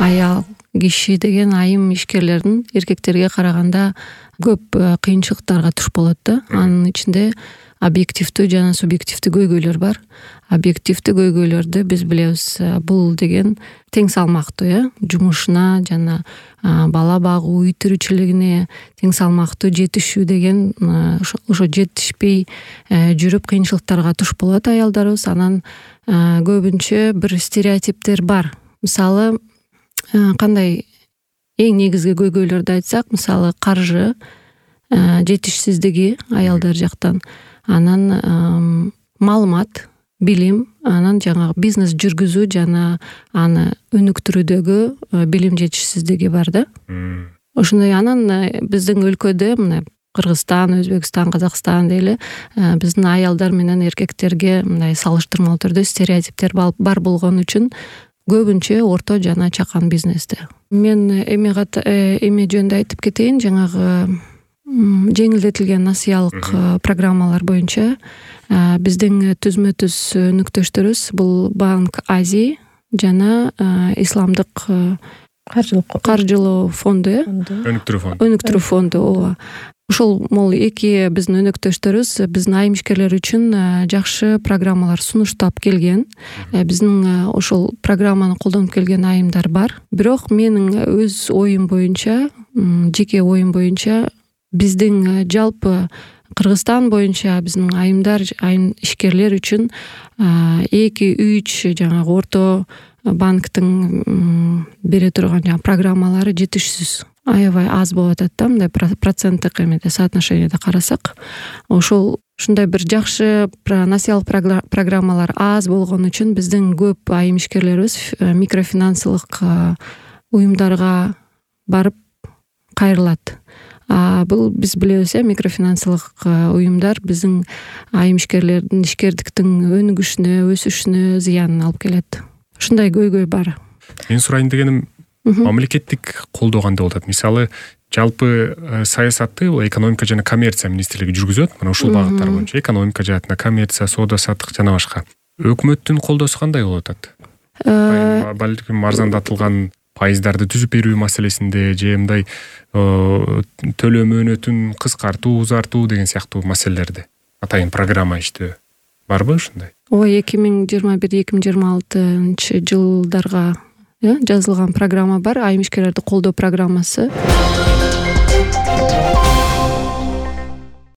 аял киши деген айым ишкерлердин эркектерге караганда көп кыйынчылыктарга туш болот да. Анын ичинде объективдүү жана субъективдүү көйгөйлөр бар. Объективдүү көйгөйлөрдү биз билебиз. Бул деген тең салмактуу, жумушуна жана бала багуу, үй тиричилигине тең салмактуу жетишүү деген ошо жетишпей жүрүп кыйынчылыктарга туш болот аялдарыбыз. Анан көбүнчө бир стереотиптер бар. Мисалы, кандай эң негизги көйгөйлөрдү айтсак, мисалы каржы жетишсиздиги аялдар жактан, анан маалымат, билим, анан жаңагы бизнес жүргүзүү жана аны өнүктүрүүдөгү билим жетишсиздиги бар да. Ошондой. Анан биздин өлкөдө мына Кыргызстан, Өзбекстан, Казакстан дейли, биздин аялдар менен эркектерге мындай салыштырмалуу түрдө стереотиптер бар болгон үчүн көбүнчө орто жана чакан бизнесте. Мен эме жөнүндө айтып кетейин. Жаңагы жеңилдетилген насыялык программалар боюнча биздин түзмө-түз өнүктөштөрүбүз бул Банк Азии жана Исламдык каржылоо фонду, өнүктүрүү фонду. Ооба. Ошол могул эки биздин өнөктөштөрүбүз биздин айым ишкерлер үчүн жакшы программалар сунуштап келген. Биздин ошол программаны колдонуп келген айымдар бар. Бирок менин өз оюм боюнча, жеке оюм боюнча, биздин жалпы Кыргызстан боюнча биздин айым ишкерлер үчүн 2-3 жаңагы орто банктын бере турган программалары жетишсиз. Аябай аз болуп атат да, мындай проценттик эмеде, соотношениеде карасак. Ушундай бир жакшы насыялык программалар аз болгон үчүн биздин көп айым ишкерлерибиз микрофинансылык уюмдарга барып кайрылат. Бул биз билебиз, микрофинансылык уюмдар биздин айым ишкерлердин ишкердиктин өнүгүшүнө, өсүшүнө зыянын алып келет. Ушундай көйгөй бар. Мен сурайын дегеним, мамлекеттик колдоо кандай болот? Мисалы, жалпы саясатты экономика жана коммерция министрлиги жүргүзөт. Мына ушул багыттар боюнча экономика жаатында, коммерция, соода саттык жана башка. Өкмөттүн колдоосу кандай болуп атат? Балким арзандатылган пайыздарды түзүп берүү маселесинде же мындай төлөө мөөнөтүн кыскартуу, узартуу деген сыяктуу маселелерди атайын программа иштөө барбы ушундай? Ооба, 2021-2026 жылдарга жазылган программа бар, айым ишкерлерди колдоо программасы.